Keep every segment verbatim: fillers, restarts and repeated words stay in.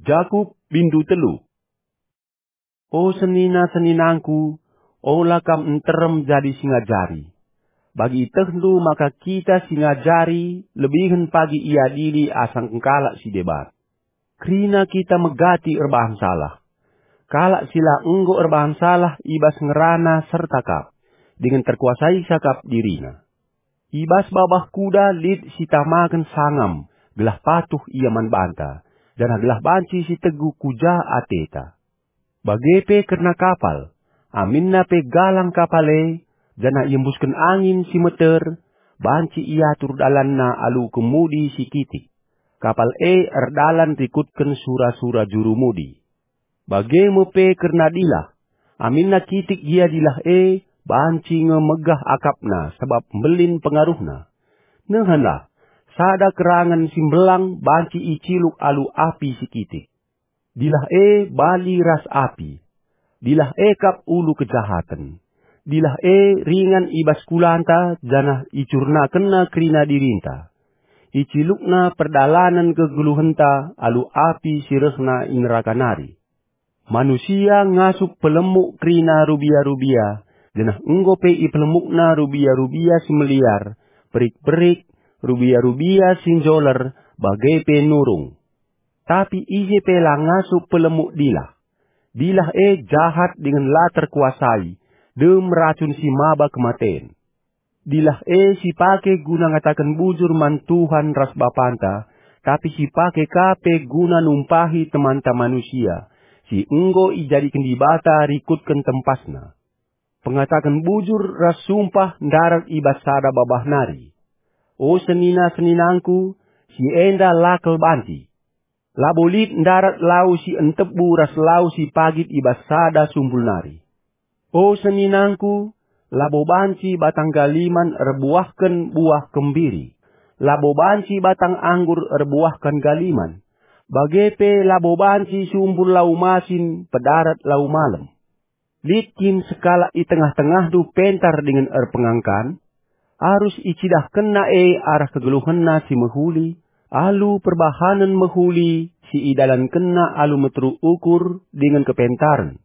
Jakup bindu telu. O senina-seninangku, ola kam nterem jadi si ngajari. Bagi itehndu maka kita si ngajari lebihen pagi iadili asangken kalak si deban. Kerina kita megati erbahan salah. Kalak si la enggo erbahan salah i bas ngerana serta kap, dingen terkuasaisa kap dirina. I bas babah kuda lit si tamaken sangam, gelah patuh ia man banta, janah gelah banci si teguh ku ja ateta. Bage pe kerna kapal, aminna pe galang kapal e, janah iembusken angin si meter, banci iatur dalanna alu kemudi si kitik. Kapal e erdalan rikutken sura-sura jurumudi. Bage me pe kerna dilah, aminna kitik gia dilah e, banci nge megah akapna sabap mbelin pengaruhna. Nehenlah, sada kerangen si mbelang banci iciluk alu api si kitik. Dilah e bali ras api. Dilah e kap ulu kejahaten. Dilah e ringan i bas kulanta janah icurnakenna kerina dirinta. Icilukna perdalanen kegeluhenta alu api si rehna i neraka nari. Manusia ngasup pelemuk kerina rubia-rubia, janah enggo pe ipelemukna rubia-rubia si meliar, perik-perik, rubia-rubia si njoler, bage pe nurung. Tapi ise pe la ngasup pelemuk dilah. Dilah e jahat dingen la terkuasai, dem racun si maba kematen. Dilah e si pake guna ngataken bujur man Tuhan ras Bapanta, tapi si pake ka pe guna numpahi temanta manusia, si enggo ijadiken Dibata rikutken tempasna. Pengataken bujur ras sumpah ndarat i bas sada babah nari. O senina-seninangku, si enda la kal banci. Labo lit ndarat lau si entebu ras lau si pagit i bas sada sumbul nari. O seninangku, labo banci batang galiman erbuahken buah kembiri, labo banci batang anggur erbuahken galiman, bage pe labo banci sumbul lau masin pedarat lau malem. Lit kin sekalak i tengah-tengahndu pentar dingen erpengangkan? Arus icidahkenna e arah kegeluhenna si mehuli, alu perbahanen mehuli si idalankenna alu meteruk ukur dingen kepentaren.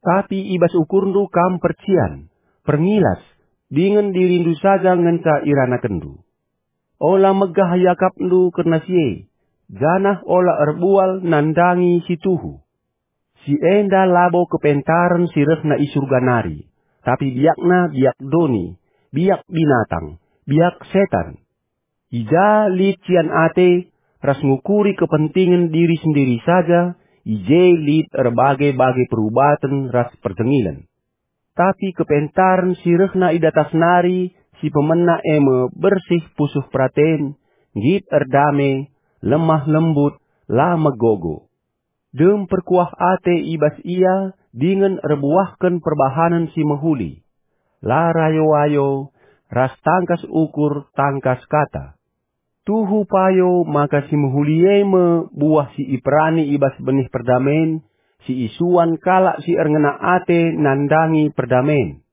Tapi i bas ukurndu kam percian, perngilas, dingen dirindu saja ngenca iranakenndu. Ola megah iakapndu kerna si e, janah ola erbual nandangi si tuhu. Si enda labo kepentaren si rehna i Surga nari, tapi biakna biak doni, biak binatang, biak setan. I ja lit cian ate ras ngukuri kepentingen diri sendiri saja, i je lit erbage-bage perubaten ras perjengilen. Tapi kepentaren si rehna i datas nari si pemena e me bersih pusuh peraten, nggit erdame, lemah lembut, la megogo. Dem perkuah ate i bas ia dingen erbuahken perbahanen si mehuli, la rayo-ayo, ras tangkas ukur tangkas kata. Tuhu payo maka si mehuli e me buah si iperani i bas benih perdamen, si isuan kalak si erngena ate nandangi perdamen.